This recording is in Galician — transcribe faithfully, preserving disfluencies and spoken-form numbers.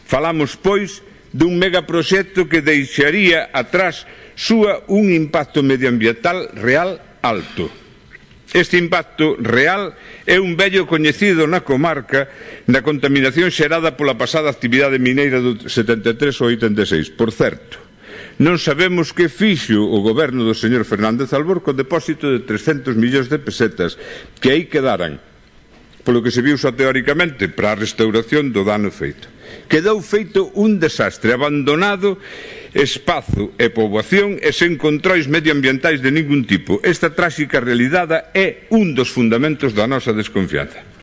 Falamos, pois, dun megaproxecto que deixaría atrás súa un impacto medioambiental real alto. Este impacto real é un vello coñecido na comarca na contaminación xerada pola pasada actividade mineira do setenta e tres ao oitenta e seis. Por certo, non sabemos que fixo o goberno do señor Fernández Albor co depósito de trescentos millóns de pesetas que aí quedaran, polo que se viu só teóricamente, para a restauración do dano feito. Quedou feito un desastre, abandonado espazo e poboación e sen controis medioambientais de ningún tipo. Esta tráxica realidade é un dos fundamentos da nosa desconfianza.